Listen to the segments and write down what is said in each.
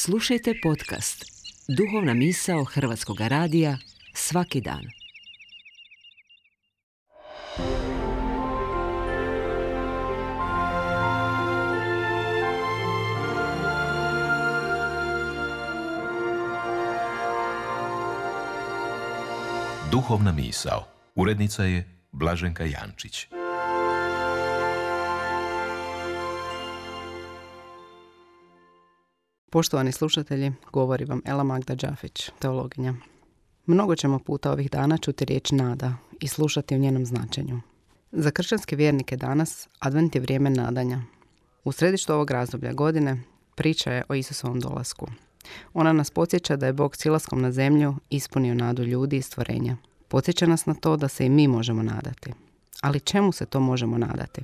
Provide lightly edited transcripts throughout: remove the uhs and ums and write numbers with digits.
Slušajte podcast Duhovna misao Hrvatskog radija svaki dan. Duhovna misao. Urednica je Blaženka Jančić. Poštovani slušatelji, govori vam Ela Magda Đafić, teologinja. Mnogo ćemo puta ovih dana čuti riječ nada i slušati o njenom značenju. Za kršćanske vjernike danas advent je vrijeme nadanja. U središtu ovog razdoblja godine priča je o Isusovom dolasku. Ona nas podsjeća da je Bog silaskom na zemlju ispunio nadu ljudi i stvorenja. Podsjeća nas na to da se i mi možemo nadati. Ali čemu se to možemo nadati?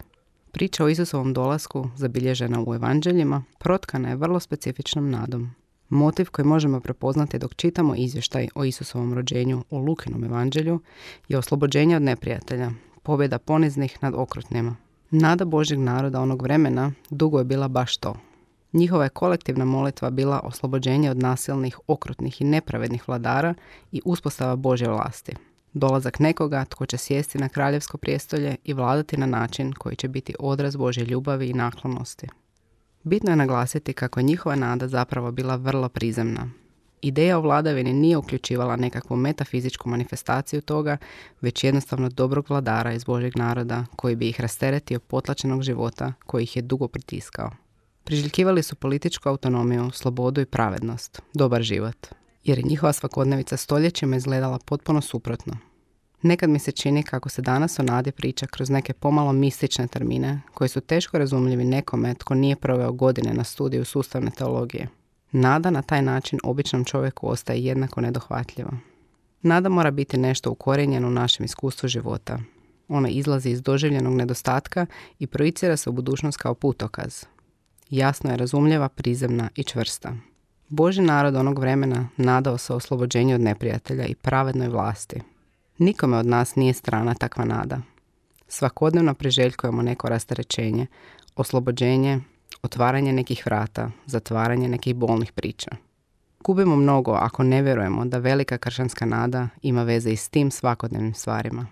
Priča o Isusovom dolasku, zabilježena u evanđeljima, protkana je vrlo specifičnom nadom. Motiv koji možemo prepoznati dok čitamo izvještaj o Isusovom rođenju u Lukinom evanđelju je oslobođenje od neprijatelja, pobjeda poniznih nad okrutnima. Nada Božjeg naroda onog vremena dugo je bila baš to. Njihova je kolektivna molitva bila oslobođenje od nasilnih, okrutnih i nepravednih vladara i uspostava Božje vlasti. Dolazak nekoga tko će sjesti na kraljevsko prijestolje i vladati na način koji će biti odraz Božje ljubavi i naklonosti. Bitno je naglasiti kako je njihova nada zapravo bila vrlo prizemna. Ideja o vladavini nije uključivala nekakvu metafizičku manifestaciju toga, već jednostavno dobrog vladara iz Božjeg naroda koji bi ih rasteretio potlačenog života koji ih je dugo pritiskao. Priželjkivali su političku autonomiju, slobodu i pravednost, dobar život. Jer je njihova svakodnevica stoljećima izgledala potpuno suprotno. Nekad mi se čini kako se danas o nadi priča kroz neke pomalo mistične termine koji su teško razumljivi nekome tko nije proveo godine na studiju sustavne teologije. Nada na taj način običnom čovjeku ostaje jednako nedohvatljiva. Nada mora biti nešto ukorijenjeno u našem iskustvu života. Ona izlazi iz doživljenog nedostatka i projicira se u budućnost kao putokaz. Jasno je razumljiva, prizemna i čvrsta. Božji narod onog vremena nadao se oslobođenju od neprijatelja i pravednoj vlasti. Nikome od nas nije strana takva nada. Svakodnevno priželjkujemo neko rasterećenje, oslobođenje, otvaranje nekih vrata, zatvaranje nekih bolnih priča. Gubimo mnogo ako ne vjerujemo da velika kršćanska nada ima veze i s tim svakodnevnim stvarima.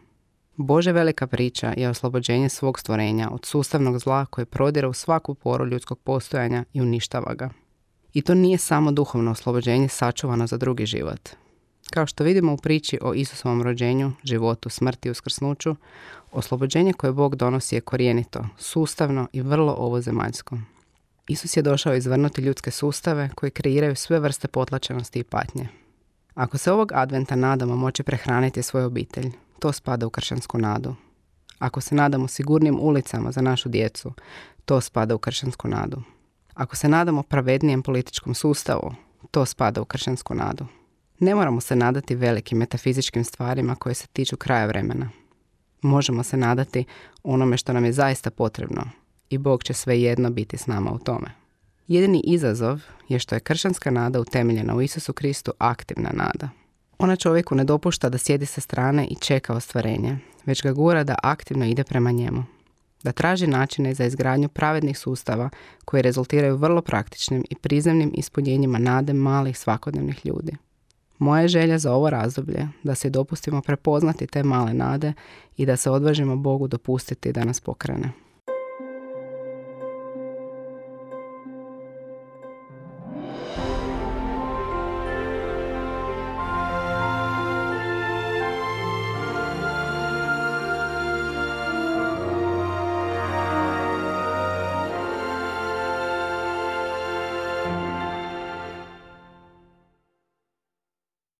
Božja velika priča je oslobođenje svog stvorenja od sustavnog zla koje prodire u svaku poru ljudskog postojanja i uništava ga. I to nije samo duhovno oslobođenje sačuvano za drugi život. Kao što vidimo u priči o Isusovom rođenju, životu, smrti i uskrsnuću, oslobođenje koje Bog donosi je korijenito, sustavno i vrlo ovozemaljsko. Isus je došao izvrnuti ljudske sustave koji kreiraju sve vrste potlačenosti i patnje. Ako se ovog adventa nadamo moći prehraniti svoju obitelj, to spada u kršćansku nadu. Ako se nadamo sigurnim ulicama za našu djecu, to spada u kršćansku nadu. Ako se nadamo pravednijem političkom sustavu, to spada u kršćansku nadu. Ne moramo se nadati velikim metafizičkim stvarima koje se tiču kraja vremena. Možemo se nadati onome što nam je zaista potrebno i Bog će svejedno biti s nama u tome. Jedini izazov je što je kršćanska nada utemeljena u Isusu Kristu aktivna nada. Ona čovjeku ne dopušta da sjedi sa strane i čeka ostvarenje, već ga gura da aktivno ide prema njemu. Da traži načine za izgradnju pravednih sustava koji rezultiraju vrlo praktičnim i prizemnim ispunjenjima nade malih svakodnevnih ljudi. Moja je želja za ovo razdoblje da se dopustimo prepoznati te male nade i da se odvažimo Bogu dopustiti da nas pokrene.